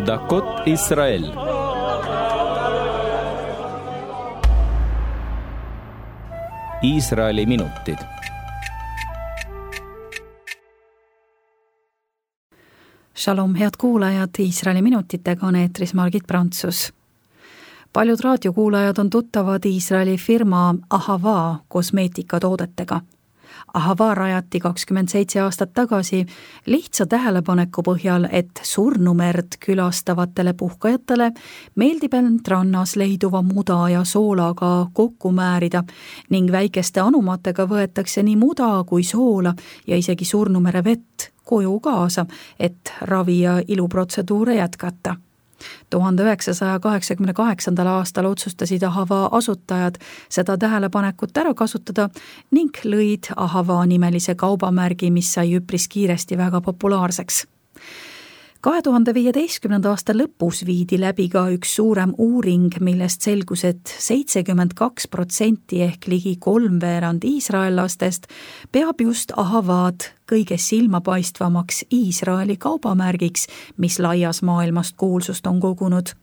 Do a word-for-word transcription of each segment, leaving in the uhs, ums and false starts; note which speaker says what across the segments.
Speaker 1: דקות ישראל. Iisraeli minutid.
Speaker 2: Shalom, head kuulajad, Iisraeli minutitega on eetris Margit Prantsus. Paljud raadiokuulajad on tuttavad Iisraeli firma Ahava kosmeetikatoodetega. Ahava rajati kakskümmend seitse aastat tagasi lihtsa tähelepaneku põhjal, et surnumerd külastavatele puhkajatele meeldib end rannas leiduva muda ja soolaga kokku määrida ning väikeste anumatega võetakse nii muda kui soola ja isegi surnumere vett koju kaasa, et ravi ja iluprotseduure jätkata. tuhande üheksasaja kaheksakümne kaheksandal aastal otsustasid Ahava asutajad seda tähelepanekut ära kasutada ning lõid Ahava nimelise kaubamärgi, mis sai üpris kiiresti väga populaarseks. kahe tuhande viieteistkümnenda aasta lõpus viidi läbi ka üks suurem uuring, millest selgus, et seitsekümmend kaks protsenti ehk ligi kolmveerand iisraellastest peab just Ahavad kõige silmapaistvamaks Iisraeli kaubamärgiks, mis laias maailmast kuulsust on kogunud.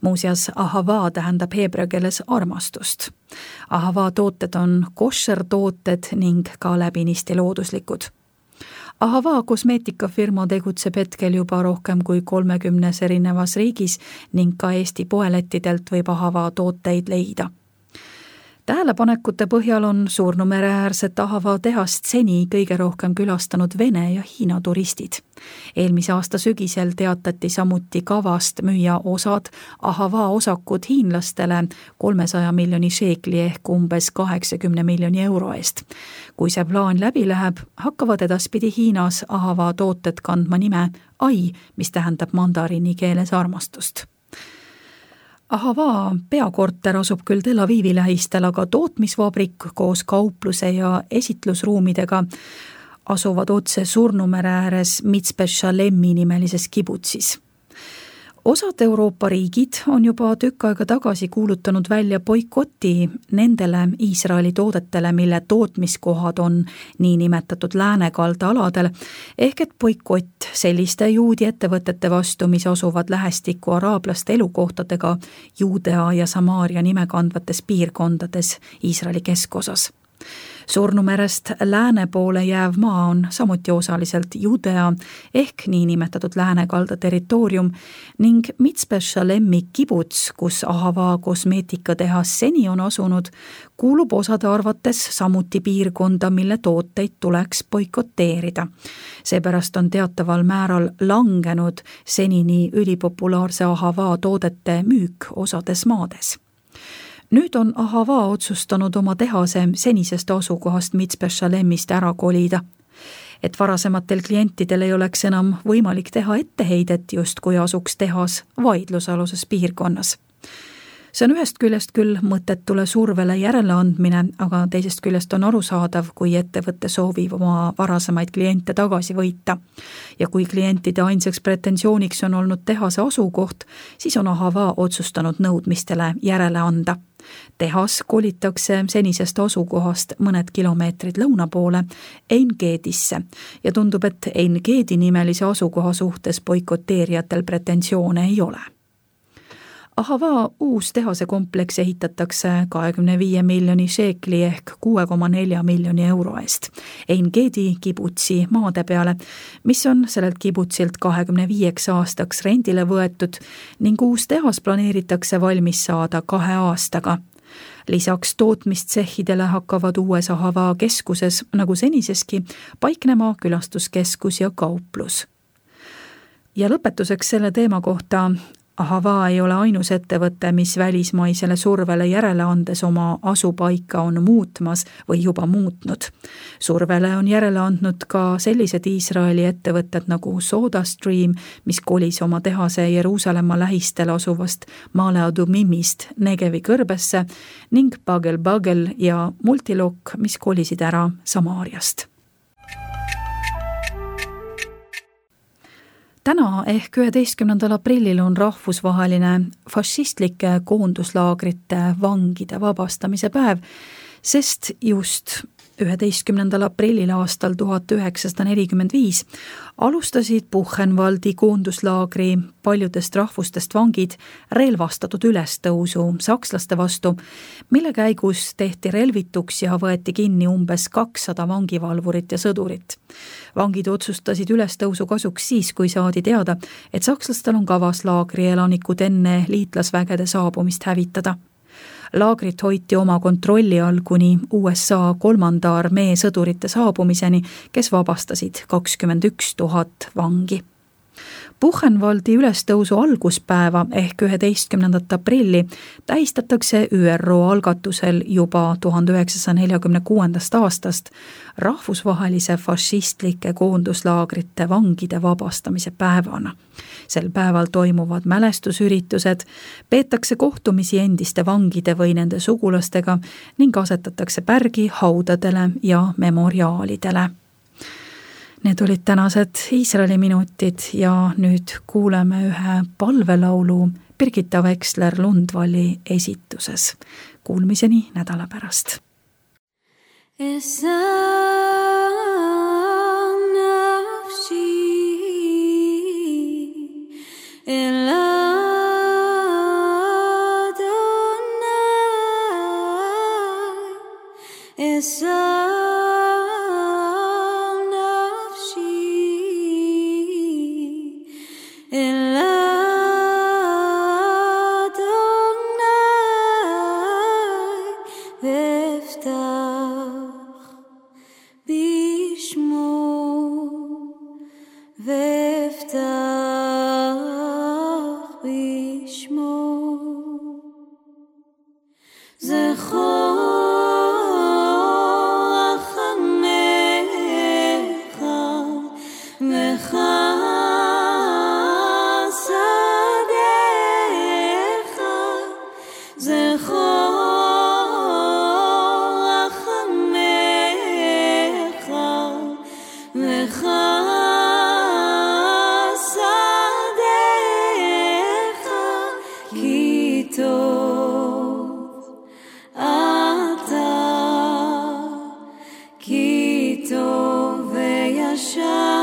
Speaker 2: Muuseas, Ahava tähendab heebrea keeles armastust. Ahava tooted on koššer tooted ning ka läbinisti looduslikud. Ahava kosmeetikafirma tegutseb hetkel juba rohkem kui kolmekümnes erinevas riigis ning ka Eesti poelettidelt võib Ahava tooteid leida. Tähelepanekute põhjal on Surnumere-äärset Ahava tehast seni kõige rohkem külastanud Vene ja Hiina turistid. Eelmise aasta sügisel teatati samuti kavast müüa osad Ahava osakud hiinlastele kolmesaja miljoni šeekli ehk umbes kaheksakümne miljoni euro eest. Kui see plaan läbi läheb, hakkavad edaspidi Hiinas Ahava tooted kandma nime Ai, mis tähendab mandariini keeles armastust. Ahava peakorter asub küll Tel Avivi lähistel, aga tootmisvabrik koos kaupluse ja esitlusruumidega asuvad otse Surnumere ääres Mitzpe Shalemmi nimelises kibutsis. Osad Euroopa riigid on juba tükk aega tagasi kuulutanud välja boikoti nendele Iisraeli toodetele, mille tootmiskohad on niinimetatud läänekalda aladel, ehk et boikott selliste juudi ettevõtete vastu, mis asuvad lähestikku araablaste elukohtadega Juudea ja Samaaria nime kandvates piirkondades Iisraeli keskosas. Surnumerest lääne poole jääv maa on samuti osaliselt Judea ehk niinimetatud läänekalda territoorium ning Mitzpe Shalemmi kibuts, kus Ahava kosmeetikatehas seni on asunud, kuulub osade arvates samuti piirkonda, mille tooteid tuleks boikoteerida. Seepärast on teataval määral langenud senini ülipopulaarse Ahava toodete müük osades maades. Nüüd on Ahava otsustanud oma tehase senisest asukohast Mitzpe Shalemmist ära kolida, et varasematel klientidel ei oleks enam võimalik teha etteheidet, just kui asuks tehas vaidlusaluses piirkonnas. See on ühest küljest küll mõttetule survele järele andmine, aga teisest küljest on arusaadav, kui ettevõtte soovib oma varasemaid kliente tagasi võita. Ja kui klientide ainsaks pretensiooniks on olnud tehase asukoht, siis on Ahava otsustanud nõudmistele järele anda. Tehas kolitakse senisest asukohast mõned kilomeetrid lõuna poole Ein-Gedisse ja tundub, et Ein-Gedi nimelise asukoha suhtes boikoteerijatel pretensioone ei ole. Ahava uus tehase kompleks ehitatakse kahekümne viie miljoni šeekli ehk kuue koma nelja miljoni euro eest Ein-Gedi kibutsi maade peale, mis on sellelt kibutsilt kahekümne viieks aastaks rendile võetud ning uus tehas planeeritakse valmis saada kahe aastaga. Lisaks tootmistsehhidele hakkavad uues Ahava keskuses, nagu seniseski, paiknema külastuskeskus ja kauplus. Ja lõpetuseks selle teema kohta: Ahava ei ole ainus ettevõte, mis välismaisele survele järele andes oma asupaika on muutmas või juba muutnud. Survele on järele andnud ka sellised Iisraeli ettevõtted nagu SodaStream, mis kolis oma tehase Jeruusalemma lähistel asuvast Maale Adumimist Negevi kõrbesse ning Bagel Bagel ja Multilok, mis kolisid ära Samaariast. Täna ehk üheteistkümnendal aprillil on rahvusvaheline fašistlike koonduslaagrite vangide vabastamise päev, sest just üheteistkümnendal aprillil aastal tuhat üheksasada nelikümmend viis alustasid Buchenwaldi koonduslaagri paljudest rahvustest vangid relvastatud ülestõusu sakslaste vastu, mille käigus tehti relvituks ja võeti kinni umbes kakssada vangivalvurit ja sõdurit. Vangid otsustasid ülestõusu kasuks siis, kui saadi teada, et sakslastel on kavas laagri elanikud enne liitlasvägede saabumist hävitada. Laagrit hoiti oma kontrolli all kuni U S A kolmanda armee sõdurite saabumiseni, kes vabastasid kakskümmend üks tuhat vangi. Buchenwaldi ülestõusu alguspäeva ehk üheteistkümnendat aprilli tähistatakse Ü R O algatusel juba tuhande üheksasaja neljakümne kuuendast aastast rahvusvahelise fašistlike koonduslaagrite vangide vabastamise päevana. Sel päeval toimuvad mälestusüritused, peetakse kohtumisi endiste vangide või nende sugulastega ning asetatakse pärgi haudadele ja memoriaalidele. Need olid tänased Iisraeli minutid ja nüüd kuuleme ühe palvelaulu Birgitta Veksler-Lundvalli esituses. Kuulmiseni nädala pärast.
Speaker 1: Ki tov veyashar